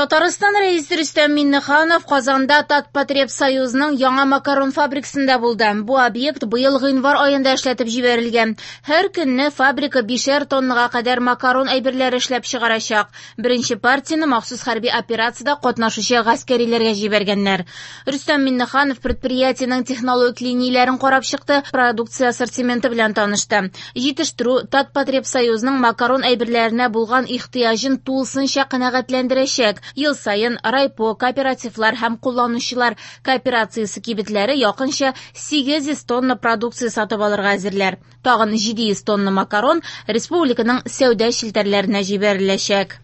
Татарстан Рәисе Рөстәм Миңнеханов Казанда Татпотребсоюзның яңа макарон фабрикасында булды. Бу объект быел гыйнвар аенда эшләтеп җибәрелгән. Һәр көнне фабрика 5 тоннага кадәр макарон әйберләре эшләп чыгарачак. Беренче партияне махсус хәрби операциядә катнашучы гаскәриләргә җибәргәннәр. Рөстәм Миңнеханов предприятиенең технологик линияләрен карап чыкты, продукция ассортименты белән танышты. Җитештерү Татпотребсоюзның макарон әйберләренә булган ихтыяҗын тулысынча канәгатьләндерәчәк. Ел саен райпо, кооперативлар һәм кулланучылар кооперациясе кибетләре якынча 800 тонна продукция сатып алырга әзерләр. Тагын 700 тонна макарон республиканың сәүдә челтәрләренә җибәреләчәк.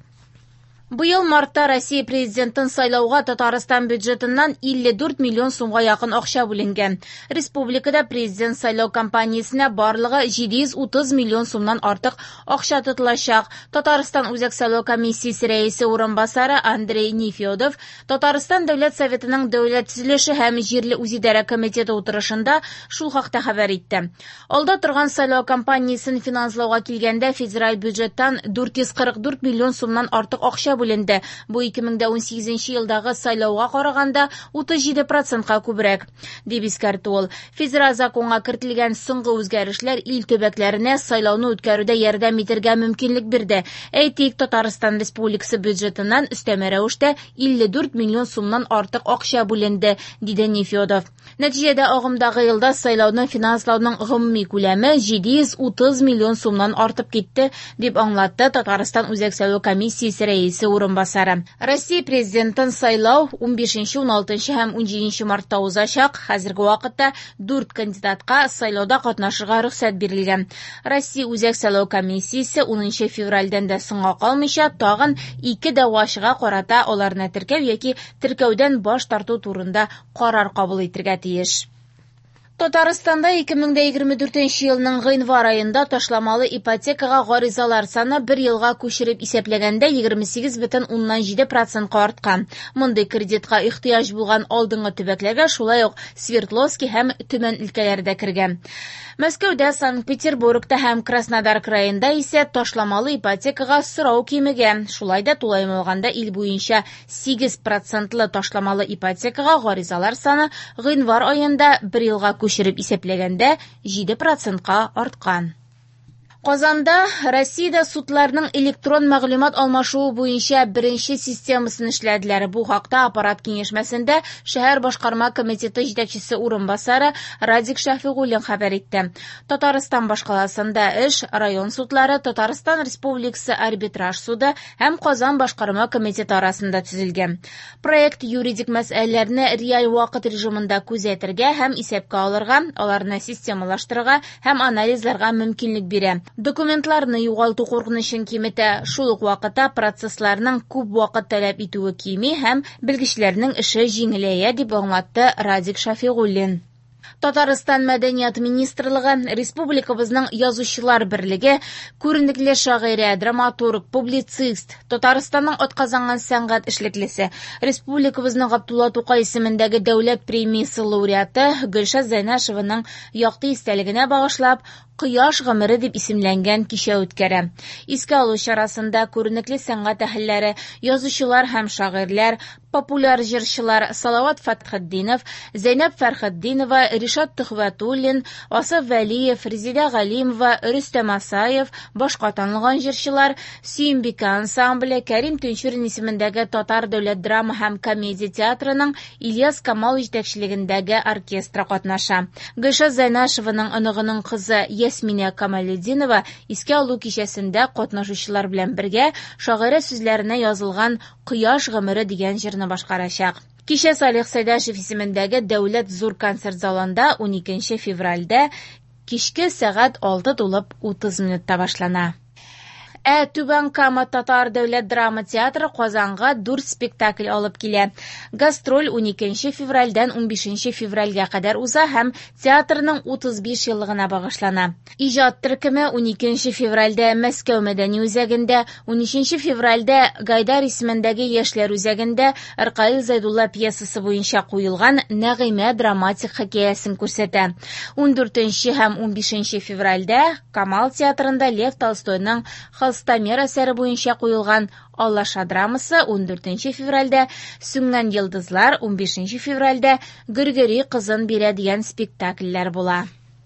Быел мартта Россия президентын сайлауга Татарстан бюджетыннан 54 миллион сумга якын акча бүленгән. Республикада президент сайлау кампаниясенә барлыгы 730 миллион сумнан артык акча тотылачак. Татарстан Үзәк сайлау комиссиясе рәисе урынбасары Андрей Нефедов Татарстан Дәүләт Советының Дәүләт төзелеше һәм җирле үзидарә комитеты утырышында шул хакта хәбәр итте. Алда торган сайлау кампаниясен финанслауга килгәндә федераль бюджеттан 444 миллион сумнан артык акча бүленде. Бу 2018 елдагы сайлауга караганда 37%ка күбрәк, дип искәртте ул. Федераль законга кертелгән соңгы үзгәрешләр ил төбәкләренә сайлауны үткәрүдә ярдәм итәргә мөмкинлек бирде. Әйтик, Татарстан Республикасы бюджетыннан өстәмә рәвештә 54 миллион сумнан артык акча бүленде, диде Нефедов. Нәтиҗәдә агымдагы елда сайлауны финанслауның гомуми күләме 730 миллион сумнан артып китте, дип аңлатты Татарстан Үзәк сайлау комиссиясе рәисе урынбасары. Россия президентын сайлау 15, 16 һәм 17 мартта узачак. Хәзерге вакытта 4 кандидатка сайлауда катнашырга рөхсәт бирелгән. Россия Үзәк сайлау комиссиясе 10 февральдән дә соңга калмыйча тагын 2 дәгъвачыга карата аларны теркәү яки теркәүдән баш тарту турында карар кабул итәргә тиеш. Татарстанда 2024 елның гыйнвар аенда ташламалы ипотекага гаризалар саны бер елга күчереп исәпләгәндә 28,7%ка арткан. Мондый кредитка ихтыяҗ булган алдынгы төбәкләргә шулай ук Свердловский һәм Төмән өлкәләре дә кергән. Мәскәүдә, Санкт-Петербургта һәм Краснодар краенда исә ташламалы ипотекага сорау кимегән. Шулай да тулаем алганда ил буенча 8%лы ташламалы ипотекага гаризалар саны гыйнвар аенда бер елга күчереп исәпләгәндә 7%ка арткан. Казанда Россиядә судларның электрон мәгълүмат алмашуы буенча беренче системасын эшләделәр. Бу хакта аппарат киңәшмәсендә шәһәр башкарма комитеты җитәкчесе урынбасары Радик Шәфигуллин хәбәр итте. Татарстан башкаласында эш район судлары, Татарстан Республикасы арбитраж суды һәм Казан башкарма комитеты арасында төзелгән. Проект юридик мәсьәләләрне реаль вакыт режимында күзәтергә һәм исәпкә алырга, аларны системалаштырырга һәм анализларга мөмкинлек бирә. Документларны югалту куркынычын киметә, шул ук вакытта процессларның күп вакыт таләп итүе кими һәм белгечләрнең эше җиңеләя, дип аңлатты Радик Шәфигуллин. Татарстан Мәдәният министрлыгы, республикабызның язучылар берлеге, күренекле шагыйрә, драматург, публицист, Татарстанның атказанган сәнгать эшлеклесе, республикабызның Габдулла Тукай исемендәге дәүләт премиясе лауреаты Гөлшат Зәйнашеваның якты истәлегенә багышлап, Кояш гомере дип исемләнгән кичә үткәрә. Искә алу чарасында күренекле сәнгать әһелләре, язучылар һәм шагыйрьләр, популяр җырчылар Салават Фәтхетдинов, Зәйнәб Фәрхетдинова, Ришат Төхвәтуллин, Асаф Вәлиев, Резидә Галимова, Рөстәм Асаев, башка танылган җырчылар, Сөембикә ансамбле, Кәрим Тинчурин исемендәге Татар дәүләт драма һәм комедия театрының Ильяс Камал җитәкчелегендәге оркестры катнаша. Гөлшат Зәйнашеваның оныгының кызы Ясминә Камалетдинова искә алу кичәсендә катнашучылар белән бергә шагыйрә сүзләренә язылган Кояш гомере дигән җырны башкарачак. Кичә Салих Сәйдәшев исемендәге Дәүләт зур концерт залында 12 февральдә кичке сәгать 6:30 минутта башлана. Ә Түбән Кама Татар дәүләт драма театры Казанга 4 спектакль алып килә. Гастроль 12 февральдән 15 февральгә кадәр уза һәм театрның 35 еллыгына багышлана. Иҗат төркеме 12 февральдә Мәскәү мәдәни үзәгендә, 13 февральдә Гайдар исемендәге Яшьләр үзәгендә Ркаил Зайдулла пьесасы буенча куелган Нәгыймә драматик хикәясен күрсәтә. 14 һәм 15 февральдә Камал театрында Лев Толстойның Холстомер әсәре буенча куелган Алаша драмасы 14 февральдә, Сүнгән йолдызлар 15 февральдә, Гөргөри кызын бирә дигән спектакльләр була.